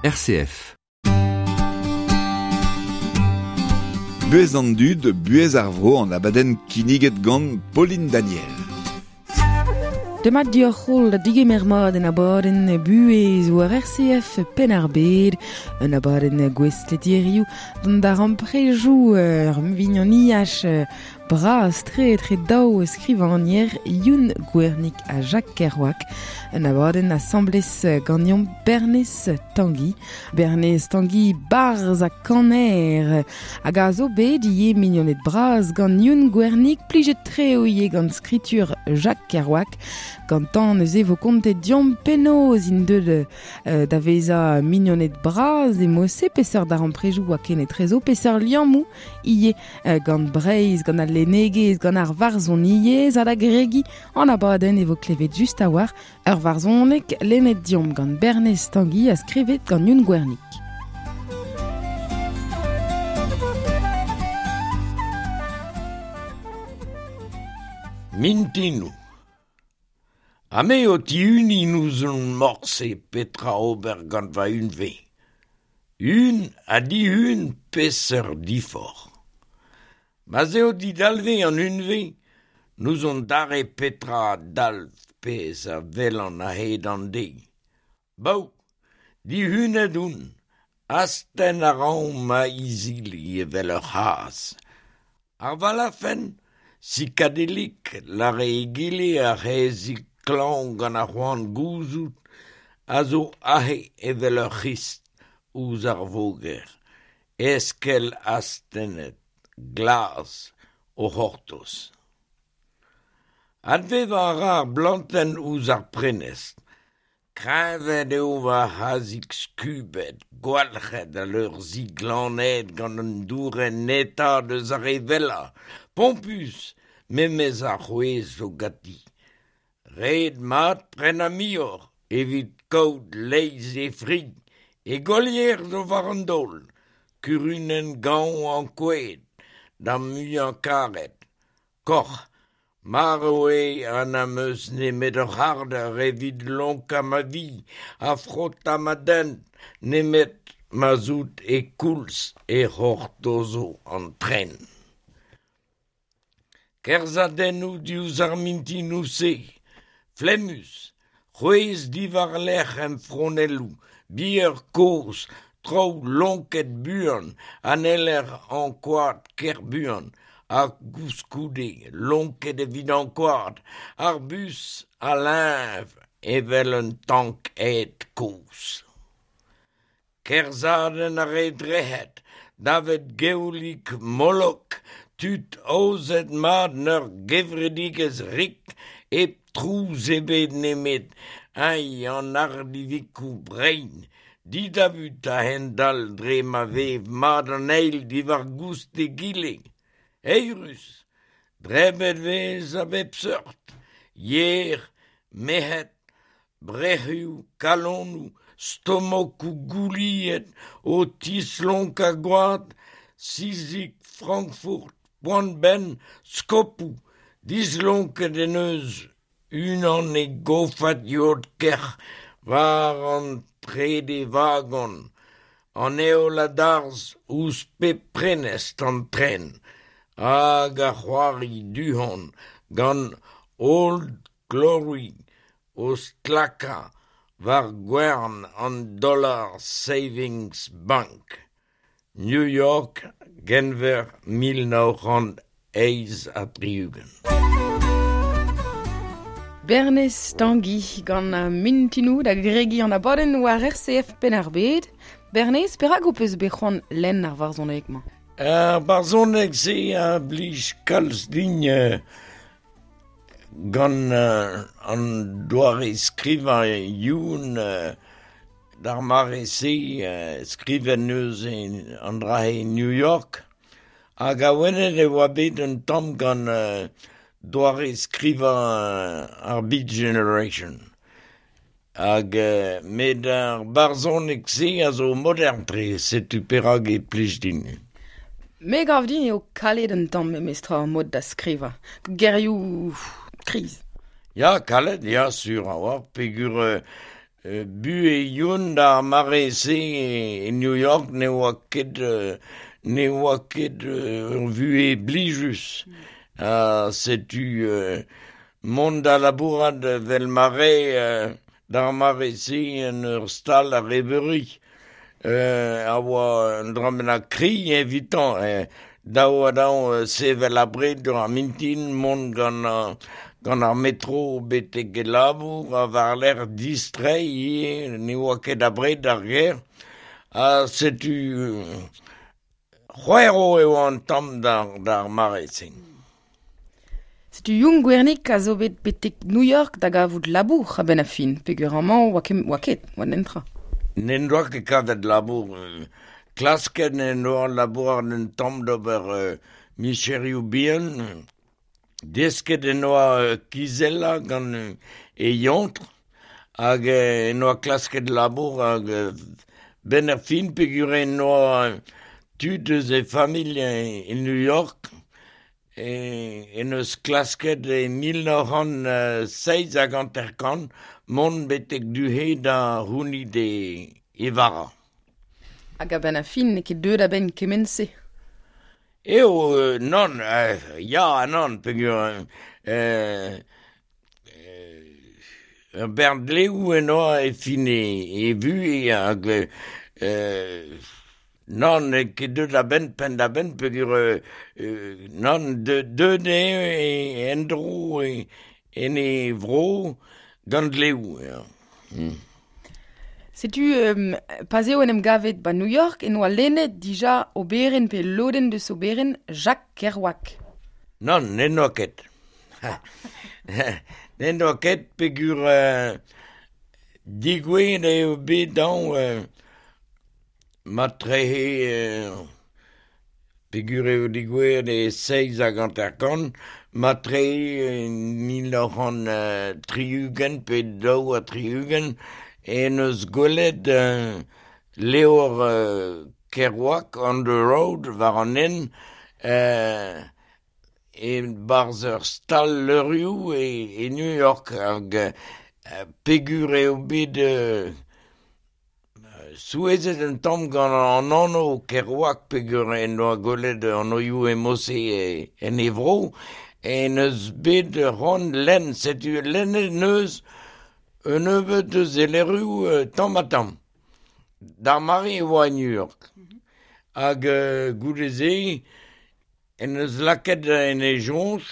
RCF. Buhez an dud, buhez ar vro an abadenn kinniget gant Pauline Daniel. Demat dioc'h holl da digemer mat en abadenn buhez war RCF Penn-ar-Bed, un abadenn gouestlet hiziv d'an darempredoù ur vignoniaj Bras-tre etre daou skrivagner Youn Gwernig ha Jacques Kerouac. Un abadenn asambles ganeomp Bernez Tanguy. Bernez Tanguy, barzh ha kaner, hag a zo bet ivez mignoned bras gant Youn Gwernig, plijet-tre eo ivez gant skritur Jacques Kerouac. Gantañ neuze vo kontet deomp penaos int deuet da vezañ mignoned bras e mod-se, peseurt darempredoù oa kenetrezo, peseurt liammoù ivez gant Breizh, gant al lennegezh, gant ar varzhoniezh ha da gregiñ an abadenn e vo klevet just a-walc'h ur varzhoneg lennet deomp gant Bernez Tangi ha skrivet gant Youn Gwernig. Mintinoù. Ha me o tihuniñ n'ouzon morse petra ober gant va hunvre. Hun ha dihun peseurt diforc'h. Ma'z eo didalvez an hunvre, n'ouzon dare petra a dalv pezh a welan a-hed an deiz. Baou, dihunet on, astenn a ran ma izili evel ur c'hazh. Ar valafenn, sikadellik, 'lâre egile ar c'haezhig klañv gant ar c'hoant gouzout, a zo aze evel ur C'hrist ouzh ar voger, eskell astennet, glas, o c'hortoz. Advevañ a ra ar blantenn ouzh ar prenestr. Kreñvaet eo va c'hazhig skubet, gwalc'het al leur-zi glanaet gant un dourenn netaat eus ar re wellañ, pompus memes ar c'hwezh zo ganti. Ret mat prenañ muioc'h evit kaout leizh he fri, he golier zo war an daol, kurunenn gañv ankouaet, da'm muiañ-karet, Koc'h, marv eo ha n'am eus nemet ur c'hardeur evit lonkañ ma vi ha frotañ ma dent, nemet ma'z out e koulz e c'hortozo an tren. Kerzhadennoù diouzh ar mintinoù-se, flemmus, c'hwezh diwar-lerc'h em fronelloù, bier kozh, traoù lonket buan ha n'heller ankouaat ker buan, ha koulskoude lonket evit ankouaat, ar bus a leñv evel un tank ed kozh. Kerzhadenn ar re drec'het, davet gewlig Molok, tud aozet mat 'n ur gevredigezh rik, hep trouz ebet nemet eñ an ardivikoù brein, didabut a-hend-all dre ma vev mat an eil diwar-goust egile. Eürus! Drebet 'vez a bep seurt, yer, merc'hed, Brec'hioù, kalonoù, stomokoù gouliet o tislonkañ gwad, sizig Frankfurt, poan-benn, skopoù, dislonket en deus unan e gofad yod-kerc'h war an trede vagon, an heol a darzh ouzh pep prenestr an tren hag a c'hoari du-hont gant Old Glory o stlakañ war gwern an Dollar Savings Bank, New York, Genver 1968. Bernez Tangi gant Mintinoù da gregiñ an abadenn war RCF Penn-ar-Bed. Bernez, perak ho peus bet c'hoant lenn ar varzhoneg-mañ? Ar barzhoneg-se a blij kalz din Gant an doare-skrivañ Youn d'ar mare-se skrivet neuze an dra-se e New York hag awenet e oa bet un tamm gant doare-skrivañ ar Beat Generation hag met ar barzhoneg-se a zo modern-tre setu perak e plij din. Me 'gav din eo kalet un tamm memestra ar mod da skrivañ. Gerioù kriz. Ya, kalet, ya, sur a-walc'h, peogwir Buhez Youn d'ar mare-se e New York ne oa ket ne oa ket ur vuhez blijus. Ha setu mont da labourat vel mare d'ar mare-se en ur stal a rebeuri a oa un dra bennak kri evitañ. Daou ha daou sevel abred ar mintin mont gant gant ar metro betek e labour ha war-lerc'h distreiñ ivez, ne oa ket abred ar gêr. Ha setu c'hwerv eo an tamm d'ar mare-se. Setu Youn Gwernig a zo bet betek New York da gavout labour a-benn ar fin, peogwir amañ oa ket, oa ket, oa netra. N'en doa ket kavet labour. Klasket en doa labourat un tamm d'ober micherioù bihan. Desket en doa kizellañ gant e yontr hag en doa klasket labour hag benn ar fin peogwir en doa tud eus e familh e New York en eus klasket e 1957 mont betek du-he da c'hounit e vara. Hag a-benn ar fin n'eo ket deuet a-benn kement-se. Eo, nann, ya ha nann, peogwir ur bern dleoù en doa e fin e vuhez hag nann, n'eo ket deuet a-benn penn-da-benn peogwir nann, deuet eo en-dro en e vro gant dleoù. Setu pa'z eo en em gavet ba New York en oa lennet dija oberenn pe lodenn deus oberenn Jacques Kerouac. Nann, n'en doa ket. N'en doa ket peogwir digouezhet eo bet dañ matrehe peogwir eo digouezhet e 57 matrehe 1960 pe 62 en eus gwelet levr Kerouac on the road war an hent e-barzh ur stal levrioù e New York hag peogwir eo bet souezhet un tamm gant an anv Kerouac peogwir en doa gwelet anvioù e-mod-se en e vro en eus bet c'hoant lenn setu lennet neus un nebeud eus e levrioù tamm-ha-tamm. D'ar mare e oa e New York. Hag goude-se en eus lakaet en e soñj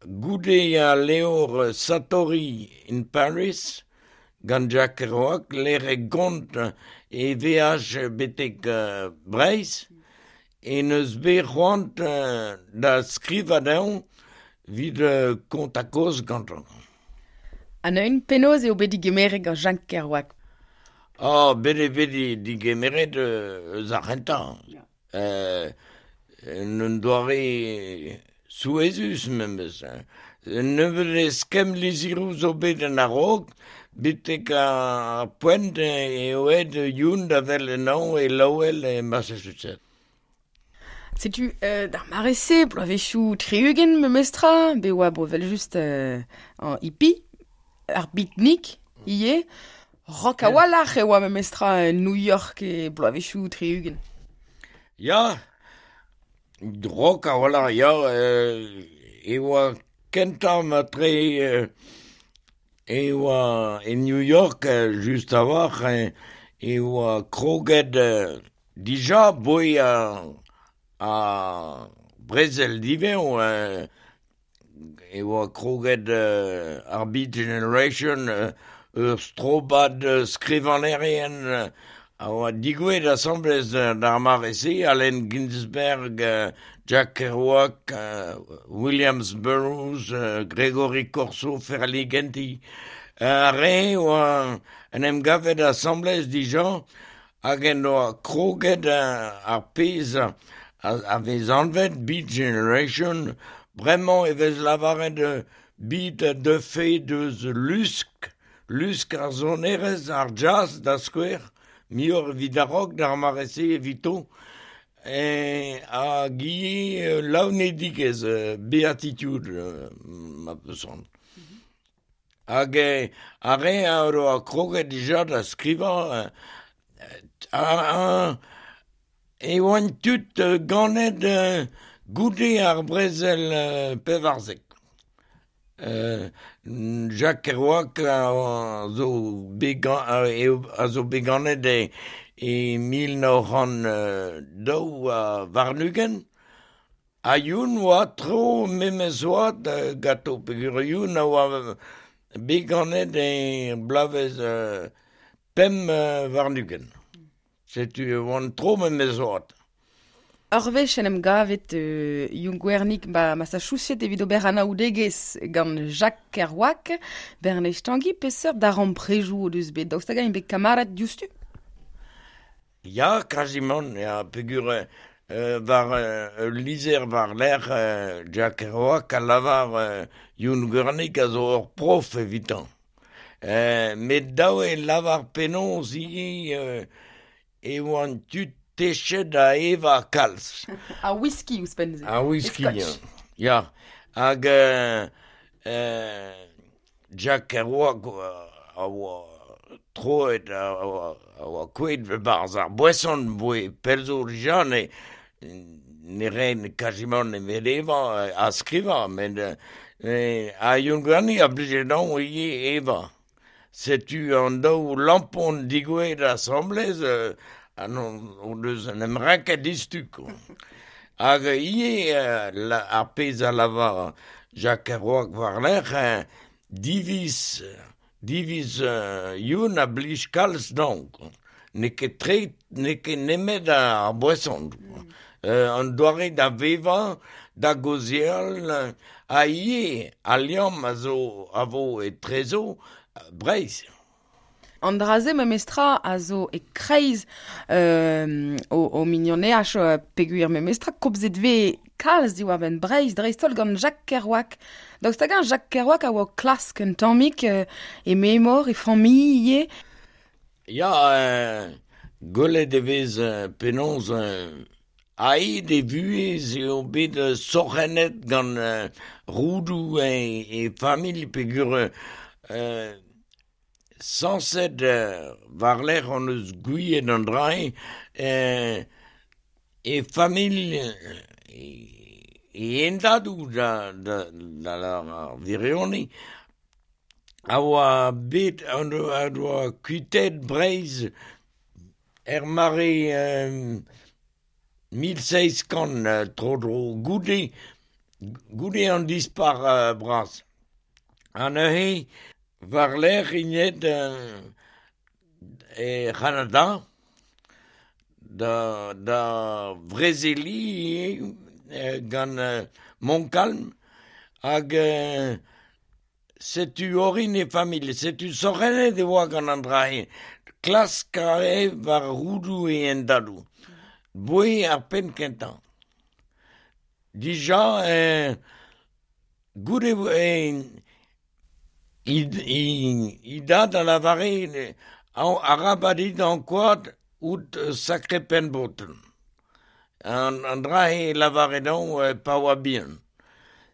goude al levr Satori in Paris gant Jacques Kerouac lec'h e gont e veaj betek Breizh en eus bet c'hoant da skrivañ dezhañ evit kontañ kaoz gantañ. Ha neuze penaos eo bet digemeret gant Jacques Kerouac? Ah, bet eo bet digemeret eus ar c'hentañ. En un doare souezhus memes. Un nebeud eskemm lizheroù zo bet en a-raok, betek ar poent eo aet Youn da wel anezhañ e Lowell e Massachusetts. Setu d'ar mare-se, bloavezhioù 60 memestra, bet oa bo evel-just an hippie, ar beatnik ivez, rock a-walc'h e oa memestra en New York e bloavezhioù 60. Ya, rock a-walc'h, ya, e oa kentañ matre e oa e New York just a-walc'h e oa kroget dija boe ar brezel diwezhañ e oa kroget ar Beat Generation ur strobad skrivagnerien a oa digouezhet asambles d'ar mare-se, Allen Ginsberg, Jack Kerouac, Williams Burroughs, Gregory Corso, Ferlinghetti. Ar re oa en em gavet asambles dija hag en doa kroget ar pezh a vez anvet Beat Generation. Bremañ e vez lavaret beat a deufe deus lusk, lusk ar sonerezh, ar jazz da skouer, muioc'h evit ar rock d'ar mare-se evito, hag ivez laouenedigezh, beatitude ma peus c'hoant. Hag ar re a oa kroget dija da skrivañ e oant tud ganet goude ar brezel 14. Jacques Kerouac a zo bet ganet e 1922, ha Youn oa tro memes oad ganto, peogwir Youn a oa bet ganet e bloavezh 25. Setu e oant tro memes oad. Ur wech en em gavet Youn Gwernig ba Massachusetts evit ober anaoudegezh gant Jacques Kerouac, Bernez Tangi, peseurt darempredoù o deus bet, daoust hag-eñ bet kamarad diouzhtu? Ya, kazimant, ya, peogwir war ul lizher war-lerc'h Jacques Kerouac a lavar Youn Gwernig a zo ur prof evitañ. Met dav eo lavar penaos ivez e oant tud techet da evañ kalz. Ar whisky ouzhpenn-se. Ar whisky, ya. Hag Jacques Kerouac a oa troet, a oa kouezhet e-barzh ar boeson voe pell zo dija, ne raen kazimant nemet evañ ha skrivañ, met ha Youn Gwernig a blije dezhañ ivez evañ. Setu an daou lampon digouezhet asambles o deus en em renket diouzhtu. Hag ivez ar pezh a lavar Jacques Kerouac war-lerc'h, diviz Youn a blij kalz dezhañ. N'eo ket tre, n'eo ket nemet ar boeson. An doare da vevañ, da gaozeal, ha ivez al liamm a zo a vo etrezo Breizh. An dra-se memestra a zo e-kreiz o mignoneaj peogwir memestra komzet vez kalz diwar-benn Breizh dreist-holl gant Jacques Kerouac. Daoust hag-eñ Jacques Kerouac a oa o klask un tammig e memor, e familh ivez? Ya, gwelet e vez penaos a-hed e vuhez eo bet sorc'hennet gant roudoù e familh peogwir sañset war-lerc'h hon eus gouiet an dra-se e familh e hendadoù da ar wirionez a oa bet a oa kuitaet Breizh er mare 1700 tro-dro goude an dispac'h bras. Ha neuze war-lerc'h int aet e C'hanada da vrezeliñ gant Montcalm hag setu orin e familh, setu sorc'hennet e oa gant an dra-se. Klask a rae war roudoù e hendadoù. Boe ar penn kentañ. Dija goude e dad a lavare arabat eo ankouaat out sakre penn-breton. An dra-se lavare dezhañ pa oa bihan.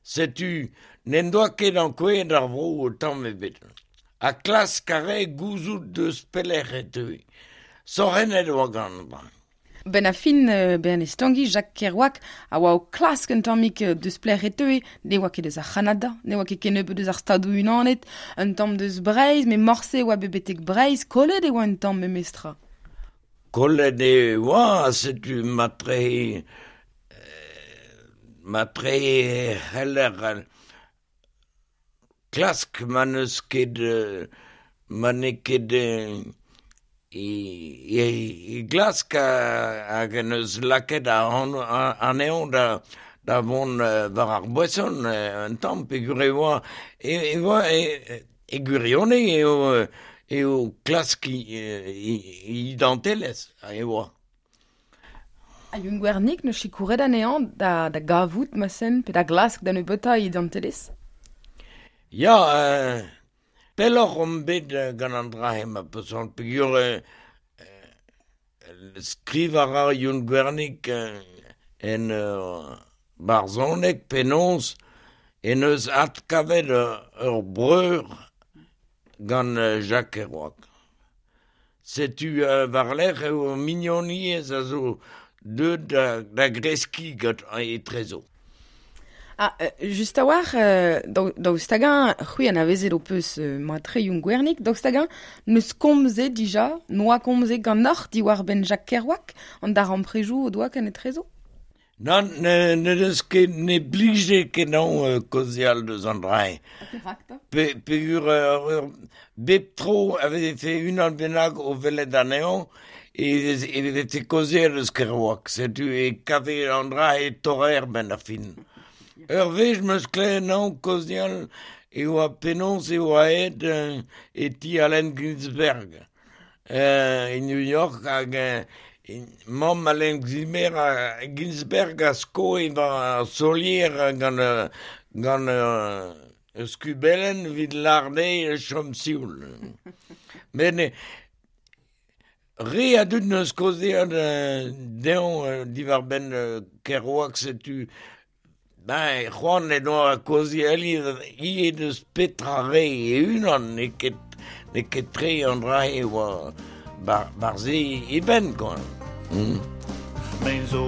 Setu n'en doa ket ankouaet ar vro tamm ebet. Ha klask a rae gouzout deus pelec'h e teue. Sorc'hennet e oa gant an dra. Ben a fin Bernez Tangi, Jacques Kerouac a oa o klask un tammig deus pelec'h e teue, ne oa ket eus ar C'hanada, ne oa ket kennebeut eus ar Stadoù-Unanet, un tamm deus Breizh, met morse e oa bet betek Breizh, kollet e oa un tamm memestra. Kollet e oa, setu matre e c'heller klask ma n'eus ket ma n'eo ket e glask hag en eus lakaet anezhañ da vont war ar boeson un tamm peogwir e oa e gwirionez eo klask e identelezh e oa. Ha Youn Gwernig n'eus sikouret anezhañ da gavout ma sen pe da glask da nebeutañ e identelezh? Ya, pelloc'h omp bet gant an dra-se ma peus peogwir skrivañ a ra Youn Gwernig en barzhoneg penaos en deus adkavet ur breur gant Jacques Kerouac. Setu war-lerc'h eo mignoniezh a zo deuet da greskiñ gant etrezo. Ah, just a-walc'h, daoust hag-eñ, c'hwi anavezet ho peus matre Youn Gwernig, daoust hag-eñ n'eus komzet dija, n'oa komzet ganeoc'h diwar-benn Jacques Kerouac, an darempredoù o doa ken etrezo? Nann, ne deus ket, ne blije kenañ kaozeal deus an dra-se. Ha perak 'ta? Peogwir bep tro a vefe unan bennak o welet anezhañ e vefe kaozeal eus Kerouac. Setu e kave an dra-se torr 'benn ar fin. Ur wech 'm eus klevet anezhañ kaozeal e oa penaos e oa aet e ti Allen Ginsberg e New York hag mamm Allen Ginsberg a skoe war ar solier gant ur skubellenn evit lâr dezhi chom sioul. Met re a dud 'neus kaozeet dezhañ diwar-benn Kerouac setu ben c'hoant en doa kaozeal ivez deus petra 'rae e-unan n'eo ket tre an dra-se oa bar-se e benn kwa. Me zo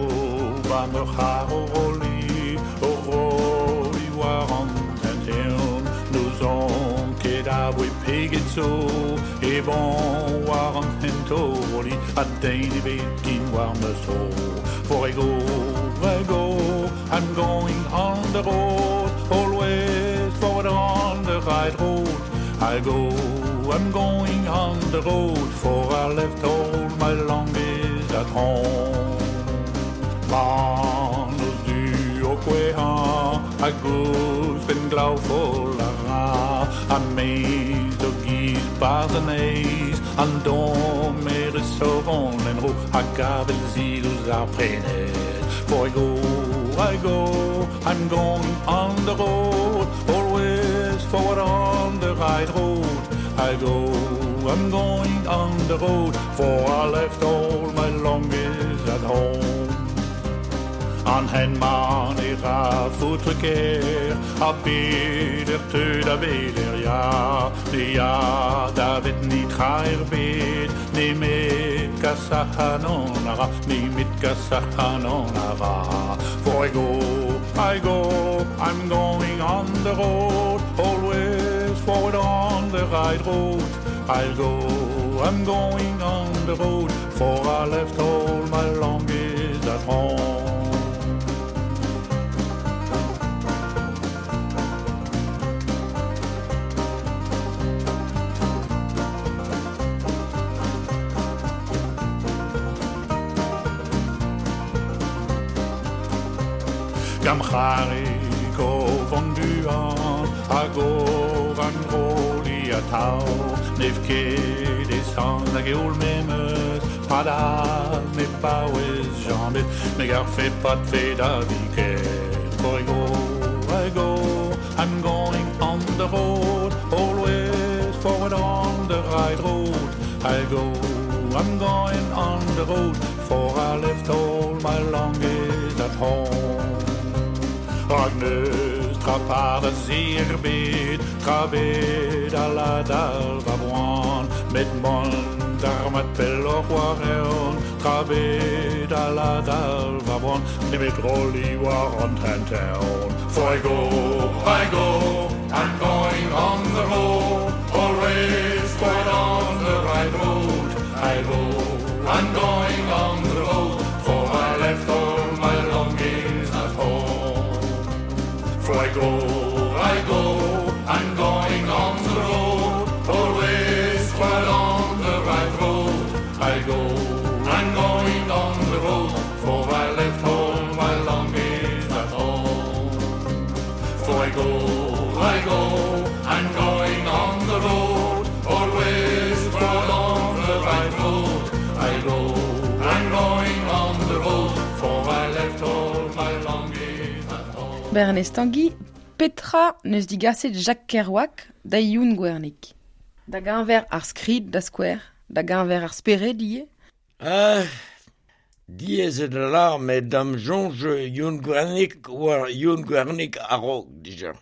ba ma c'har o rolliñ, o rolliñ war an hent-eeun. N'ouzon ket aboe pegeit zo emaon war an hent o rolliñ ha den ebet ken war ma zro. For I go, I go, I'm going on the road, always forward on the right road. I go, I'm going on the road, for I left all my longings at home. An noz du o kouezhañ hag ouzhpenn glav foll a ra, ha me zo giz 'barzh an heiz, an dommerez o vont en-dro hag avel zil ouzh ar prenestr. For I go, I go, I'm going on the road, always forward on the right road. I go, I'm going on the road, for I left all my longings at home. An hent-mañ ne ra foutre kaer, ha peder teu da veler ya, ne ya davet netra ebet, nemet kas ac'hanon a ra, nemet kas ac'hanon a ra. For I go, I go, I'm going on the road, always forward on the right road. I'll go, I'm going on the road, for I left all my longings at home. Gam c'harig o vont buan hag o vanrolliñ atav Nev ket e san hag eoul memes Padal me paouez james Me garfe padfe da viken For I go, I go, I'm going on the road, always forward on the right road. I go, I'm going on the road, for I left all my longings at home. Rak n'eus tra par da se ebet, tra bet a la dal va boan, met mont d'ar mat pelloc'h war eeun, tra bet a la dal va boan, nemet rolliñ war an hent-eeun. For I go, I go, I'm going on the road, always forward on the right road. I go, I'm going on the road, for I left all my longings at home. For I go, I go, I'm going on the road, always forward on the right road. I go, I'm going on the road, for I left all my longings at home. For I go, I go, I'm going on the road, always forward on the right road. I go, I'm going on the road, for I left all my longings at home. Bernez Tanguy, petra neus digaset Jacques Kerouac da Youn Gwernig? Da geñver ar skrid da skouer, da geñver ar spered ivez? Diaes eo da lâr met da'm soñj Youn Gwernig oa Youn Gwernig a-raok dija.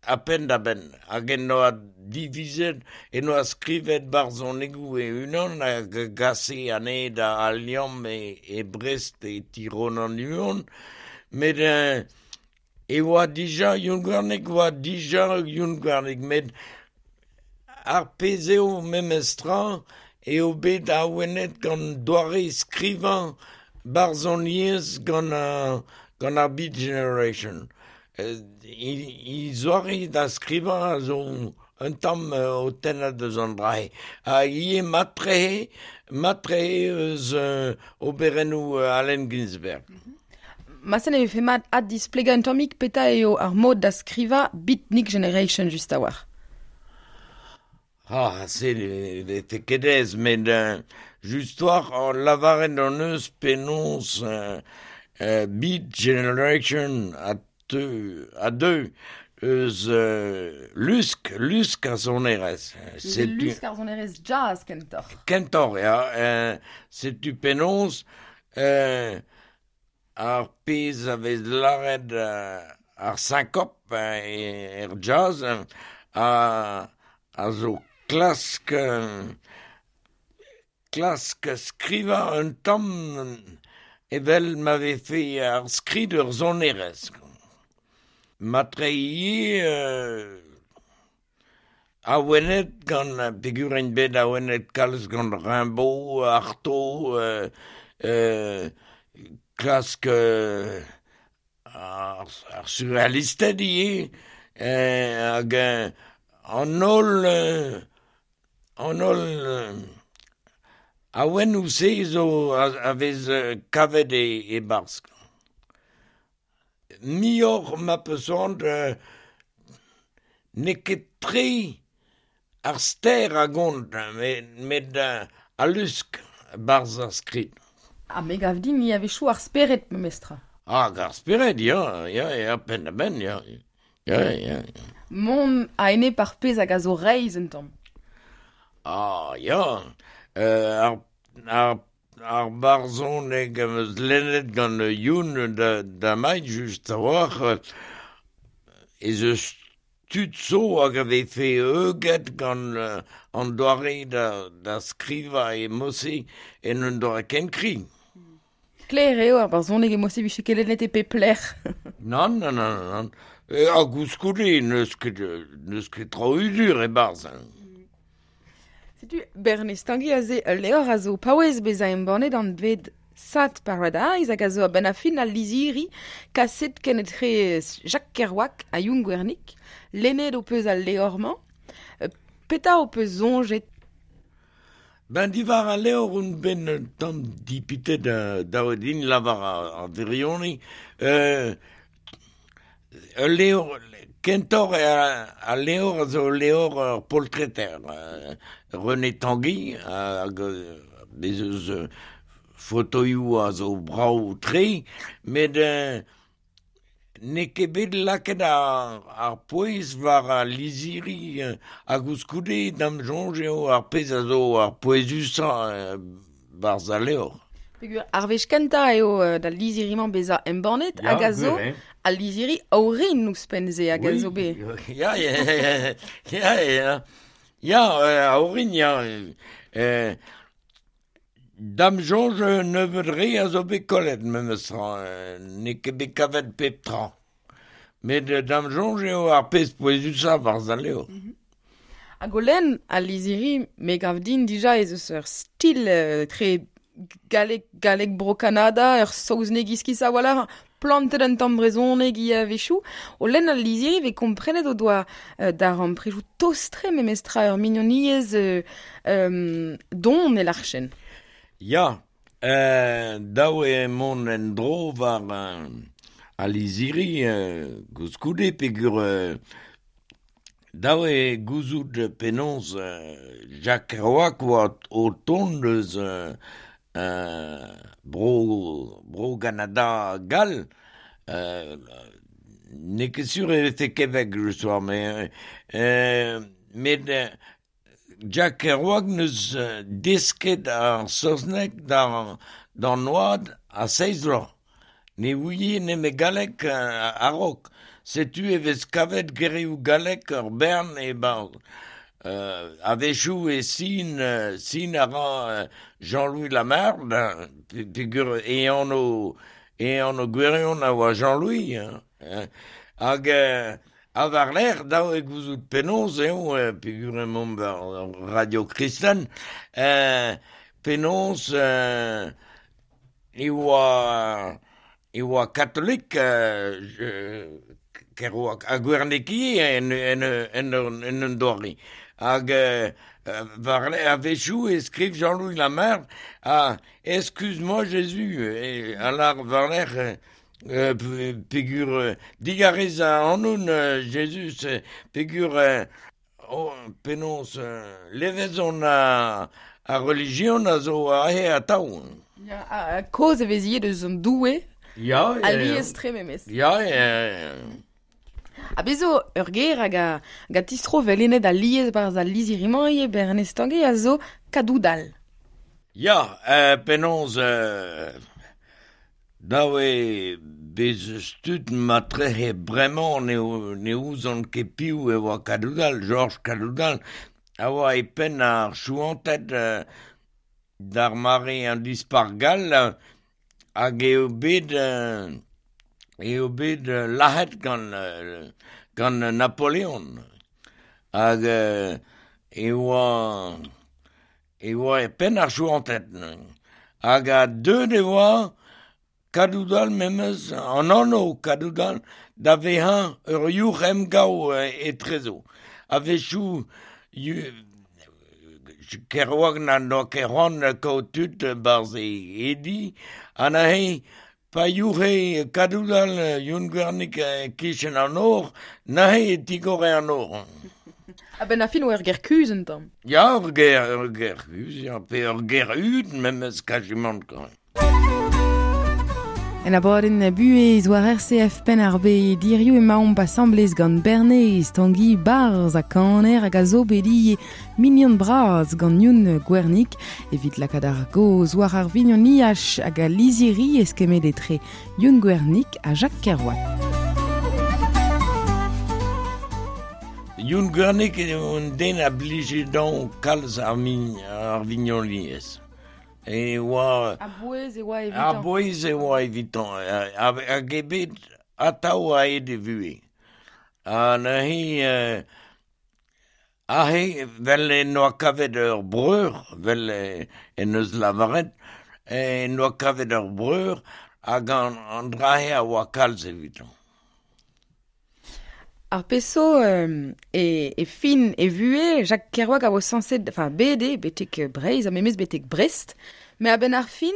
a penn da benn. Hag en doa divizet, en doa skrivet barzhonegoù e-unan hag a gase anezhe da Al Liamm e Brest e ti Ronan Huon, met e oa dija Youn Gwernig oa dija Youn Gwernig, met ar pezh eo memestra eo bet awenet gant doare skrivañ barzhoniezh gant gant ar Beat Generation. E zoare da skrivañ a zo un tamm o tennañ deus an dra-se. Hag ivez mat-tre, mat-tre eus oberennoù Allen Ginsberg. Marteze e vefe mat addisplegañ un tammig petra eo ar mod da skrivañ Beatnik Generation just a-walc'h. Ah, se ne vefe ket aes, met just war lavaret hon eus penaos Beat Generation a teu, a deu eus lusk, lusk ar sonerezh. Setu lusk ar sonerezh jazz kentoc'h. Kentoc'h, ya. Setu penaos ar pezh a vez lâret ar sinkop er jazz a zo klask klask skrivañ un tamm evel ma vefe ar skrid ur sonerezh. Matre ivez awenet gant peogwir int bet awenet kalz gant Rimbaud, Artaud, klask ar surrealisted ivez hag an holl an holl awennoù-se zo a vez kavet e-barzh. Muioc'h ma 'peus c'hoant n'eo ket tre ar ster a gont met al lusk 'barzh ar skrid. Ha me 'gav din ivez a-wechoù ar spered memestra. Ah, ar spered, ya, ya, ya, penn-da-benn, ya, ya, ya. Mont a-enep ar pezh hag a zo reizh un tamm. Ah, ya, ar ar ar barzhoneg am eus lennet gant Youn da damai just a-walc'h ez eus tud zo hag a vefe heuget gant an doare da skrivañ e mod-se en un doare ken kri. Sklaer eo ar barzhoneg e mod-se 'vije kelennet e pep lec'h. Nann, nann, nann, nann. Ha koulskoude n'eus ket n'eus ket traoù hudur e-barzh. Setu Bernez Tangi aze ul levr a zo paouez bezañ embannet anvet Sad Paradise hag a zo a-benn ar fin al lizhiri kaset kenetre Jacques Kerouac ha Youn Gwernig. Lennet ho peus al levr-mañ. Petra ho peus soñjet? Ben diwar al levr on bet un tamm dipitet dav eo din lavar ar wirionez. Ul levr kentoc'h eo al levr a zo ul levr ur poltreter René Tanguy hag bez' eus fotoioù a zo brav-tre met n'eo ket bet lakaet ar pouez war al lizhiri ha koulskoude da'm soñj eo ar pezh a zo ar pouezusañ 'barzh al levr. Peogwir ar wech kentañ eo d'al lizhiri-mañ bezañ embannet hag a zo al lizhiri orin ouzhpenn-se hag a zo bet. Ya, ya, ya, ya, ya, a orin, ya. Da'm soñj un nebeud re a zo bet kollet memes tra, n'eo ket bet kavet pep tra. Met da'm soñj eo ar pezh pouezusañ 'barzh al levr. Hag o lenn al lizhiri, me 'gav din dija ez eus ur stil tre galleg, galleg Bro-Kanada, ur saozneg iskis a-walc'h, plantet un tamm brezhoneg ivez a-wechoù. O lenn al lizhiri e vez komprenet o doa darempredoù tost-tre memestra ur mignoniezh don e lârchen. Ya, dav eo mont en-dro war al lizhiri koulskoude peogwir Dav eo gouzout penaos Jacques Kerouac oa o tont eus bro Bro-Ganada gall. N'eo ket sur e vefe Québec just-war met Jacques Kerouac 'neus desket ar saozneg d'an oad a seizh vloaz. Ne ouie nemet galleg a-raok. Setu e vez kavet gerioù gallek ur bern e-barzh. A-wechoù e sin, sin a ra Jean-Louis Lamarde, peogwir e anv e anv gwirion a oa Jean-Louis. Hein. Hag ha war-lerc'h, dav eo gouzout penaos eo, peogwir emaomp war Radio Kristen, penaos e oa e oa katolik Kerouac ha Gwernig ivez en en en en un doare. Hag war a-wechoù e skriv Jean-Louis Lamarre ah, excuse-moi Jésus, a lâr war-lerc'h peogwir digarez ac'hanon Jezuz peogwir oh, penaos levezon ar relijion a zo aze atav. Ya, ha kaoz e vez ivez deus an Doue Ya, ya, alies-tre memes. Ya, ya. Ha bez zo ur ger hag a, hag a tistro vel alies barzh al lizhiri-mañ ivez Bernez Tangi a zo Kadoudal. Ya, penaos dav eo bez eus tud matrehe bremañ ne ouzon ket piv e oa Kadoudal, Georges Kadoudal, a oa e penn ar Chouanted d'ar mare an Dispac'h gall hag eo bet eo bet lazhet gant gant Napoleon. Hag e oa e oa e penn ar Chouanted. Hag a deuet e oa Kadoudal memes, an anv Kadoudal, da vezañ ur youc'h emgav etrezo. A-wechoù Kerouac na n'oa ket c'hoant kaout tud barzh e di, ha neuze pa youc'he Kadoudal Youn Gwernig e-kichen an nor, neuze e tigore an nor. A-benn ar fin oa ur ger kuzh un tamm. Ya, ur ger kuzh, ya, pe ur ger hud memes kazimant kwa. En abadenn buhez war RCF Penn-ar-Bed hiziv emaomp asambles gant Bernez Tangi Barzh ha kaner hag a zo bet ivez mignon bras gant Youn Gwernig evit lakaat ar gaoz war ar vignoniaj hag al lizhiri eskemmet etre Youn Gwernig ha Jacques Kerouac. Youn Gwernig eo un den a blije dezhañ kalz ar vignoniezh. E oa... A-bouez e oa evitañ. A-bouez e oa evitañ. Hag eo bet atav a-hed e vuhez. Ha neuze, aze, 'vel en doa kavet ur breur, 'vel en deus lavaret, en doa kavet ur breur hag an dra-se a oa kalz evitañ. Ar pezh zo e fin e vuhez, Jacques Kerouac a oa sañset, enfin bet eo betek Breizh ha memes betek Brest, met a-benn ar fin,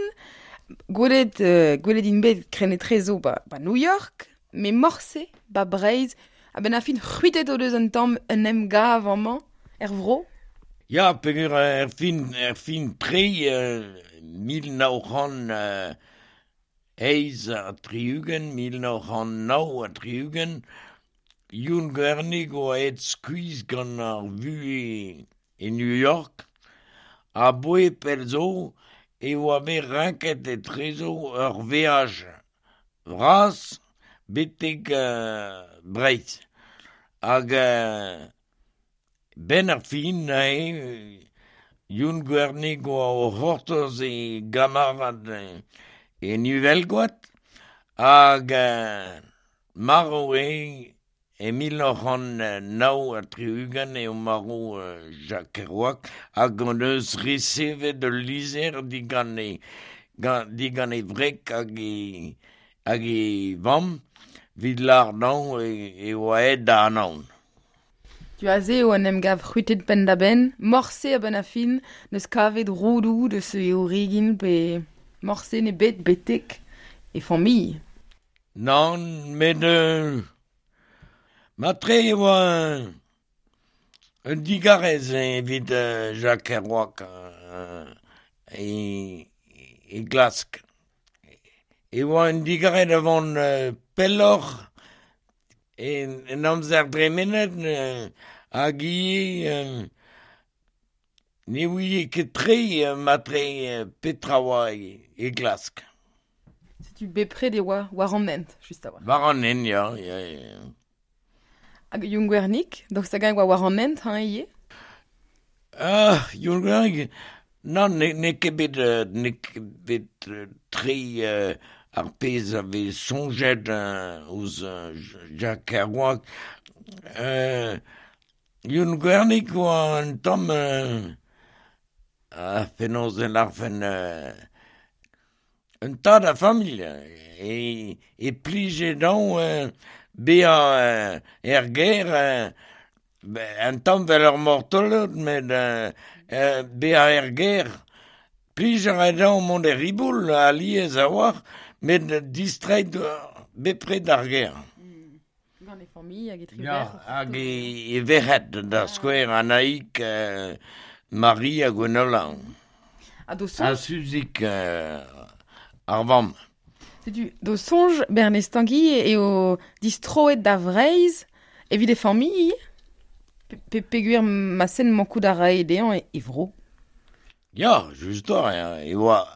gwelet gwelet int bet krenn-etrezo ba, ba New York, met morse ba Breizh, a-benn ar fin c'hwitet o deus un tamm un emgav amañ, er vro. Ya, peogwir er fin tre 1968, 1969, Youn Gwernig oa aet skuizh gant ar vuhez e New York, aboae pell zo e oa bet renket etrezo ur veaj vras betek Breizh. Hag benn ar fin neuze Youn Gwernig oa o c'hortoz e gamarad en Uhelgoad hag marv eo e 1969 eo marv Jacques Kerouac hag hon eus resevet ul lizher digant e wreg hag e vamm evit lâr dezhañ e oa aet da Anaon. Tu aze eo en emgav c'hwitet penn-da-benn, morse a-benn ar fin n'eus kavet roudoù deus e origin pe morse n'eo bet betek e familh. Nann, met matre e oa un digarez evit Jacques Kerouac e glask. E oa un digarez da vont pelloc'h en amzer dremenet hag ivez ne ouie ket tre matre petra oa e glask. Setu bepred e oa war an hent, just a-walc'h. War an hent, ya, ya. Hag Youn Gwernig, daoust hag-eñ oa war an hent hañ ivez? Ah, Youn Gwernig, nann, n'eo ket bet, n'eo ket bet tre ar pezh a vez soñjet ouzh Jacques Kerouac. Youn Gwernig oa un tamm, ah, penaos e lârfen, un tad a familh e plije dezhañ bezañ er gêr un tamm 'vel ur mortolod met bezañ er gêr. Plij a rae dezhañ mont er riboul alies a-walc'h met distreiñ bepred d'ar gêr. Gant e familh hag e tri Ya, hag e verc'hed, da skouer Anaïg, Marie ha Gwenola. Ha d'ho soñj... Ha Suzik ar vamm. Setu, d'ho soñj, Bernez Tangi eo distroet da Vreizh evit e familh ivez? Pe peogwir ma sen mankout a rae dezhañ e vro? Ya, just eo, e oa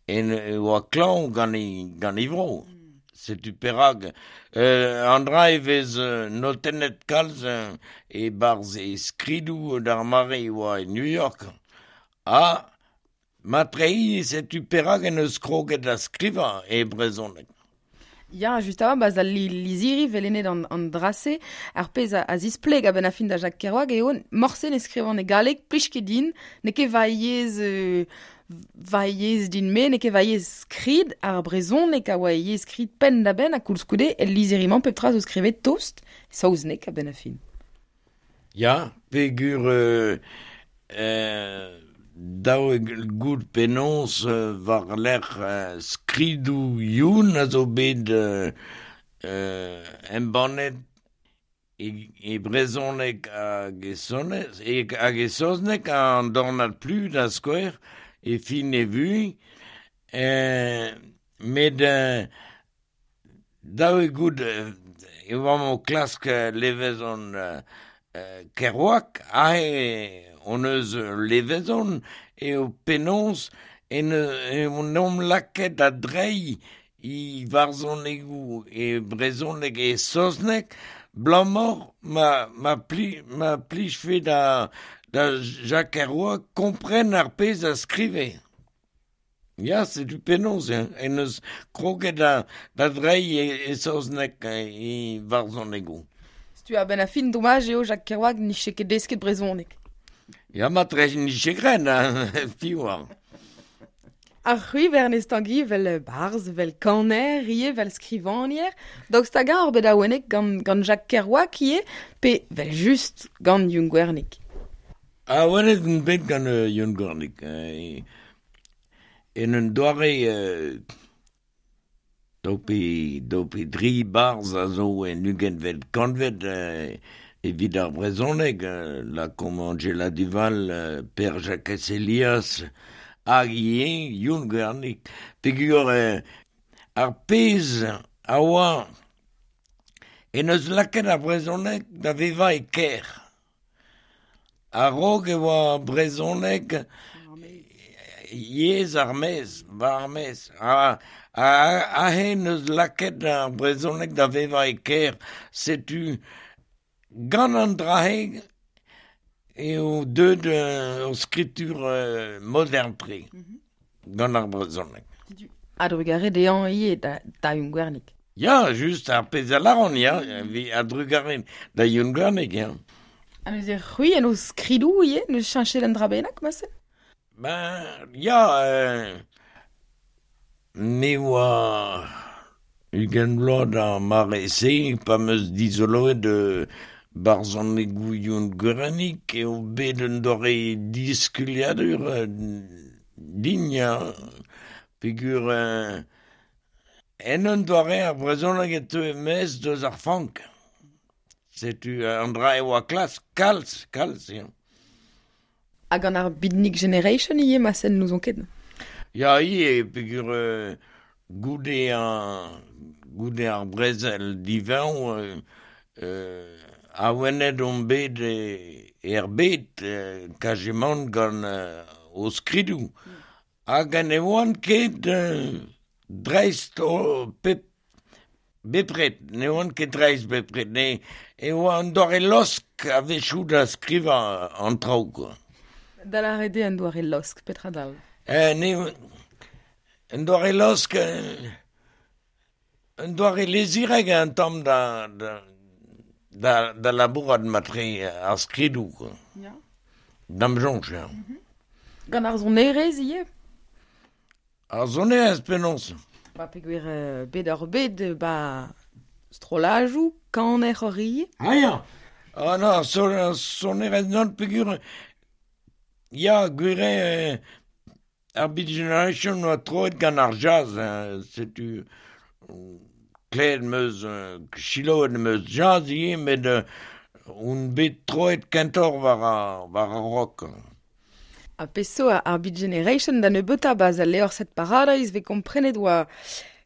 e oa klañv gant e gant e vro. Setu perak an dra e vez notennet kalz e-barzh e skridoù d'ar mare e oa e New York. Ha matre setu perak en deus kroget da skrivañ e brezhoneg. Ya, just a-walc'h, 'ba al lizhiri 'vel an dra-se, ar pezh a zispleg a-benn ar fin da Jacques Kerouac eo morse ne skrivan e galleg, plij ket din, n'eo ket va yezh va yezh din-me, n'eo ket va yezh skrid, ar brezhoneg a oa e yezh skrid penn-da-benn ha koulskoude el lizhiri-mañ pep tra zo skrivet tost, saozneg a-benn ar fin. Ya, peogwir dav eo goût penaos war-lerc'h skridoù Youn a zo bet embannet e brezhoneg hag e sonez hag e saozneg an dornad plu da skouer e fin e vuhez met dav eo goût e oamp o klask levezon Kerouac aze hon eus levezon eo penaos en omp lakaet da dreiñ e varzhonegoù e brezhoneg e saozneg 'blamor ma plijfe da Jacques Kerouac kompren ar pezh a skrive. Ya, setu penaos en deus kroget da dreiñ e saozneg e varzhonegoù. Setu a-benn ar fin domaj eo Jacques Kerouac nije ket desket brezhoneg. Ya, matre nije graet, piv oar. Ar c'hwi Bernez Tangi 'vel barzh, 'vel kaner ivez, 'vel skrivagner. Daoust hag-eñ oc'h bet awenet gant Jacques Kerouac ivez, pe 'vel just gant Youn Gwernig? Awenet on bet gant Youn Gwernig. En un doare daou pe dri barzh a zo en ugentvet kantved evit ar brezhoneg, lakaomp Anjela Duval, Pêr-Jakez Helias, hag ivez Youn Gwernig. Peogwir ar pezh a oa en deus lakaet ar brezhoneg da vevañ e kêr. A-raok e oa brezhoneg yezh ar maez, war ar maez. Aze en deus lakaet ar brezhoneg da vevañ e kêr. Setu gant an dra-se eo deuet ur skritur modern-tre gant ar brezhoneg. A-drugarez dezhañ ivez da Youn Gwernig. Ya, just ar pezh a lâran, ya, a-drugarez da Youn Gwernig, ya. Ha neuze c'hwi en ho skridoù ivez, n'eus cheñchet un dra bennak, marse? Ben, ya, me oa 20 vloaz d'ar mare-se pa 'm eus dizoloet barzhonegoù Youn Gwernig eo bet un doare diskuliadur din, ya, peogwir en un doare ar brezhoneg e teu e-maez deus ar fank. Setu an dra e oa klask kalz, kalz, ya. Hag gant ar Beatnik Generation ivez, ma sen n'ouzon ket. Ya, ivez, peogwir goude ar brezel divañ awenet omp bet er bed kajemant gant o skridoù. Hag ne oant ket dreist pep Bepred, ne oan ket reizh bepred, ne e oa an doare losk a-wechoù da skrivañ an traoù kwa. Da lâret eo an doare losk, petra dal? Ne un doare losk, un doare lezirek un tamm da da da da labourat matre ar skridoù kwa. Ya. Da'm soñj ya. Gant ar sonerezh ivez? Ar sonerezh penaos? Ba peogwir bet oc'h bet ba strollajoù, kaner oc'h ivez? Ah ya! Ah non, ar sonerezh nann peogwir ya gwir eo ar Beat Generation oa troet gant ar jazz setu klevet 'm eus selaouet 'm eus jazz ivez met on bet troet kentoc'h war ar rock. Ha pezh zo ar Beat Generation da nebeutañ 'barzh al levr Set Paradise 'vez komprenet oa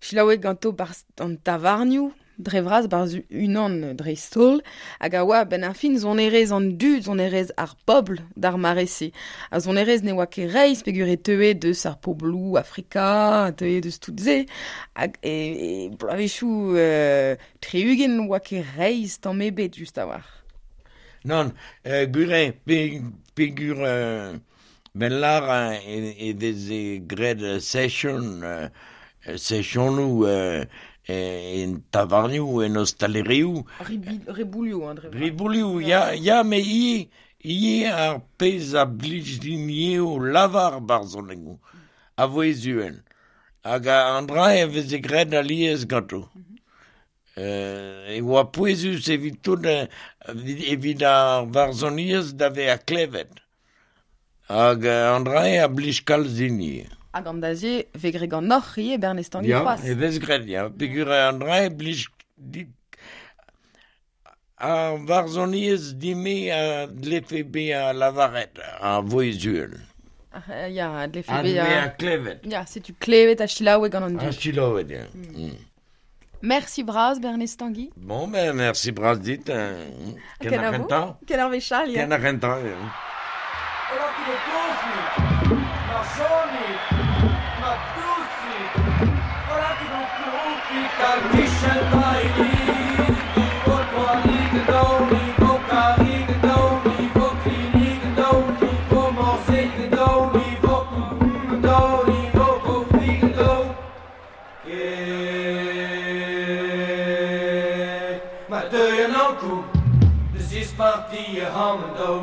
selaouet ganto 'barzh an tavarnioù dre vras 'barzh unan dreist-holl hag a oa a-benn ar fin sonerezh an dud, sonerezh ar bobl d'ar mare-se. Ar sonerezh ne oa ket reizh peogwir e teue deus ar pobloù Afrika, e teue deus tout se hag e bloavezhioù 60 ne oa ket reizh tamm ebet just a-walc'h. Nann, gwir eo peogwir ben lâr e veze graet session sessionoù en tavarnioù, en ostalerioù. Ribouilhoù hein, dre vras. Ribouilhoù, ya, ya, met ivez ivez ar pezh a blij din ivez o lavar barzhonegoù a vouezh uhel. Hag an dra e veze graet alies ganto. E oa pouezus evit tout evit ar varzhoniezh da vezañ klevet. Hag an dra-se a blij kalz din ivez. Hag an dra-se 'vez graet ganeoc'h ivez Bernez Tangi c'hoazh? Ya, e vez graet, ya. Peogwir an dra-se blij dit. Ar varzhoniezh din-me a dlefe bezañ lavaret a vouezh uhel. Ya, a dlefe bezañ klevet. Ya, setu klevet ha selaouet gant an dud. Ha selaouet, ya. Merci bras, Bernez Tanguy. Bon, ben, merci bras dit. Ken ar c'hentañ. Ken ar wech all, ya. Ken ar c'hentañ, ya. Ma teuy an Ankou da zispartiañ ac'hanomp daou.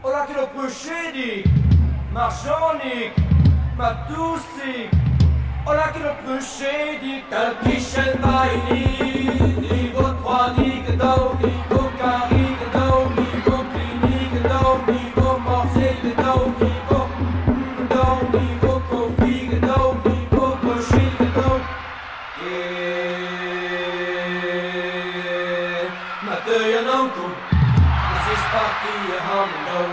O lakaet ho pruchedig, Marjanig, ma dousig. O lakaet ho pruchedig tal-kichen ma hini. Ni vo troadig daou, ni vo karig daou, ni vo klinig daou, ni vo morzhel daou, ni vo daou, ni vo kofig daou, ni vo bruchig daou. Ma teuy an Ankou da zispartiañ ac'hanomp daou.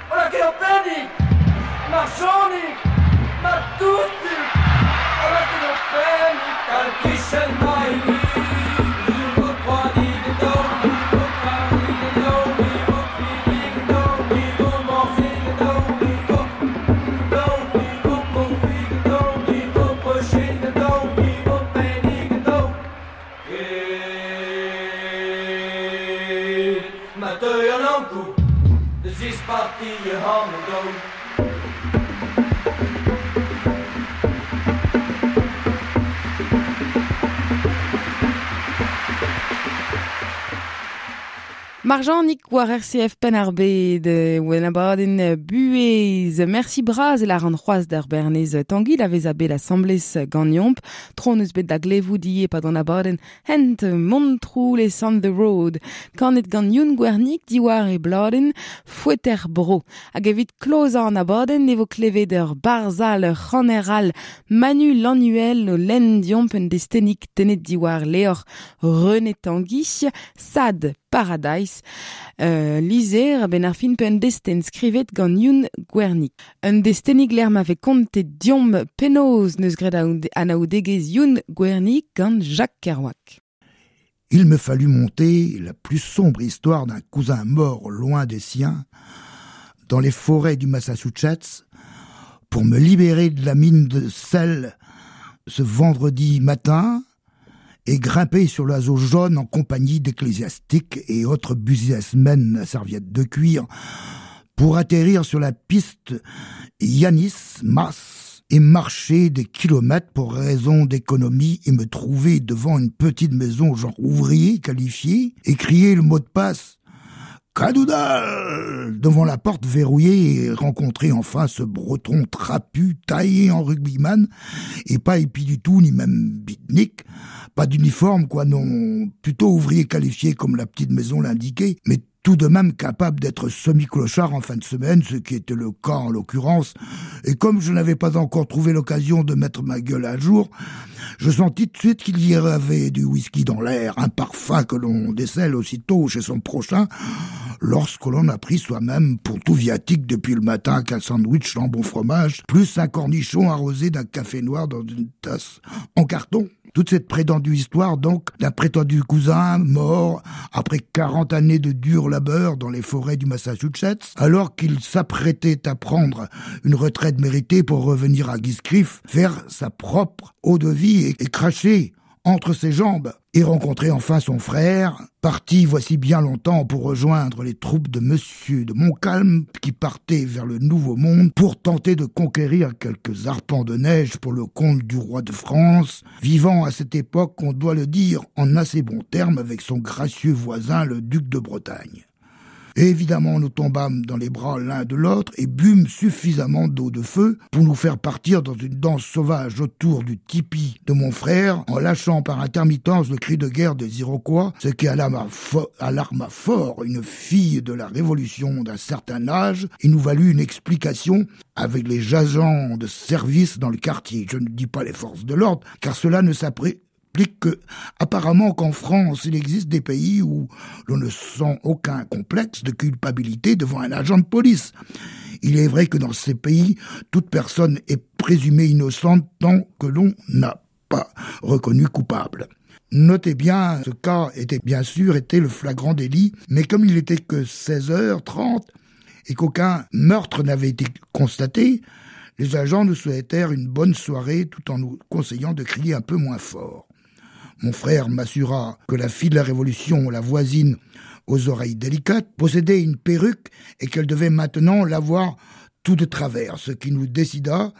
O lakaet ho pennig, Marjanig, ma dousig. O lakaet ho pennig tal-kichen ma hini. Ni vo troadig daou, ni vo karig daou, ni vo klinig daou, ni vo morzhel daou, ni vo daou, ni vo kofig daou, ni vo bruchig daou, ni vo pennig daou. Ma teuy an Ankou da zispartiañ ac'hanomp daou. Marjanig war RCF Penn-ar-Bed oa abadenn buhez. Merci bras e lâran c'hoazh d'ar Bernez Tanguy da vezañ bet asambles ganeomp. Tro hon eus bet da glevout ivez e-pad an abadenn hent Montroulez on the road. Kanet gant Youn Gwernig diwar e bladenn Foeter Bro. Hag evit klozañ an abadenn e vo klevet ur barzh all, ur c'haner all, Manu Lannuel o lenn deomp un destennig tennet diwar levr René Tanguy, Sad. Paradise. Lizer ben ar fin pe un desten skrivet gant Youn Gwernig. Un destenig ler ma ve kontet diomp penoz neus gret anaoudegez Youn Gwernig gant Jacques Kerouac. Il me fallut monter la plus sombre histoire d'un cousin mort loin des siens, dans les forêts du Massachusetts, pour me libérer de la mine de sel ce vendredi matin et grimper sur l'oiseau jaune en compagnie d'ecclésiastiques et autres businessmen à serviettes de cuir pour atterrir sur la piste Yanis Mas et marcher des kilomètres pour raison d'économie et me trouver devant une petite maison genre ouvrier qualifié et crier le mot de passe Cadoudal devant la porte verrouillée et rencontrer enfin ce breton trapu taillé en rugbyman et pas épi du tout ni même beatnik, pas d'uniforme quoi non, plutôt ouvrier qualifié comme la petite maison l'indiquait, mais tout de même capable d'être semi-clochard en fin de semaine, ce qui était le cas en l'occurrence, et comme je n'avais pas encore trouvé l'occasion de mettre ma gueule à jour, je sentis tout de suite qu'il y avait du whisky dans l'air, un parfum que l'on décèle aussitôt chez son prochain, lorsque l'on a pris soi-même pour tout viatique depuis le matin qu'un sandwich jambon fromage, plus un cornichon arrosé d'un café noir dans une tasse en carton. Toute cette prétendue histoire, donc, d'un prétendu cousin mort après 40 années de dur labeur dans les forêts du Massachusetts, alors qu'il s'apprêtait à prendre une retraite méritée pour revenir à Guiscriff, faire sa propre eau de vie et cracher entre ses jambes et rencontrer enfin son frère, parti voici bien longtemps pour rejoindre les troupes de Monsieur de Montcalm qui partait vers le Nouveau Monde pour tenter de conquérir quelques arpents de neige pour le compte du roi de France, vivant à cette époque, on doit le dire, en assez bons termes avec son gracieux voisin, le duc de Bretagne. Évidemment, nous tombâmes dans les bras l'un de l'autre et bûmes suffisamment d'eau de feu pour nous faire partir dans une danse sauvage autour du tipi de mon frère, en lâchant par intermittence le cri de guerre des Iroquois, ce qui alarma fort une fille de la Révolution d'un certain âge et nous valut une explication avec les agents de service dans le quartier. Je ne dis pas les forces de l'ordre, car cela ne s'applique que, apparemment qu'en France, il existe des pays où l'on ne sent aucun complexe de culpabilité devant un agent de police. Il est vrai que dans ces pays, toute personne est présumée innocente tant que l'on n'a pas reconnu coupable. Notez bien, ce cas était bien sûr été le flagrant délit, mais comme il n'était que 16h30 et qu'aucun meurtre n'avait été constaté, les agents nous souhaitèrent une bonne soirée tout en nous conseillant de crier un peu moins fort. Mon frère m'assura que la fille de la Révolution, la voisine aux oreilles délicates, possédait une perruque et qu'elle devait maintenant l'avoir tout de travers, ce qui nous décida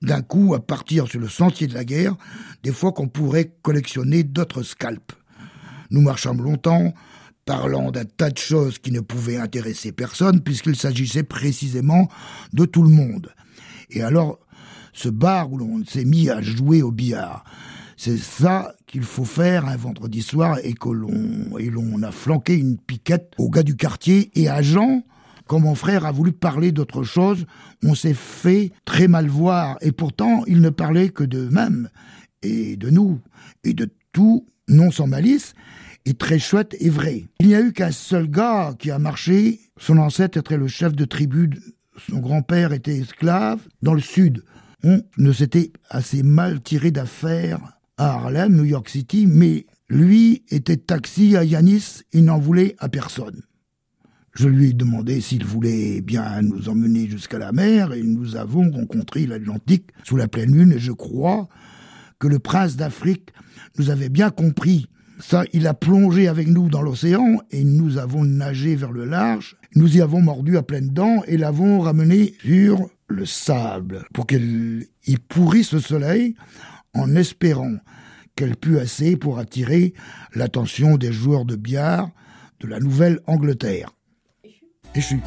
d'un coup à partir sur le sentier de la guerre, des fois qu'on pourrait collectionner d'autres scalps. Nous marchâmes longtemps, parlant d'un tas de choses qui ne pouvaient intéresser personne, puisqu'il s'agissait précisément de tout le monde. Et alors, ce bar où l'on s'est mis à jouer au billard, c'est ça qu'il faut faire un vendredi soir et que l'on a flanqué une piquette au gars du quartier et à Jean, quand mon frère a voulu parler d'autre chose, on s'est fait très mal voir et pourtant il ne parlait que d'eux-mêmes et de nous et de tout, non sans malice, et très chouette et vrai. Il n'y a eu qu'un seul gars qui a marché, son ancêtre était le chef de tribu, son grand-père était esclave dans le sud. On ne s'était assez mal tiré d'affaire à Harlem, New York City, mais lui était taxi à Yanis, il n'en voulait à personne. Je lui ai demandé s'il voulait bien nous emmener jusqu'à la mer et nous avons rencontré l'Atlantique sous la pleine lune et je crois que le prince d'Afrique nous avait bien compris. Ça, il a plongé avec nous dans l'océan et nous avons nagé vers le large. Nous y avons mordu à pleines dents et l'avons ramené sur le sable pour qu'elle y pourrisse le soleil en espérant qu'elle pût assez pour attirer l'attention des joueurs de billard de la Nouvelle-Angleterre. Échu.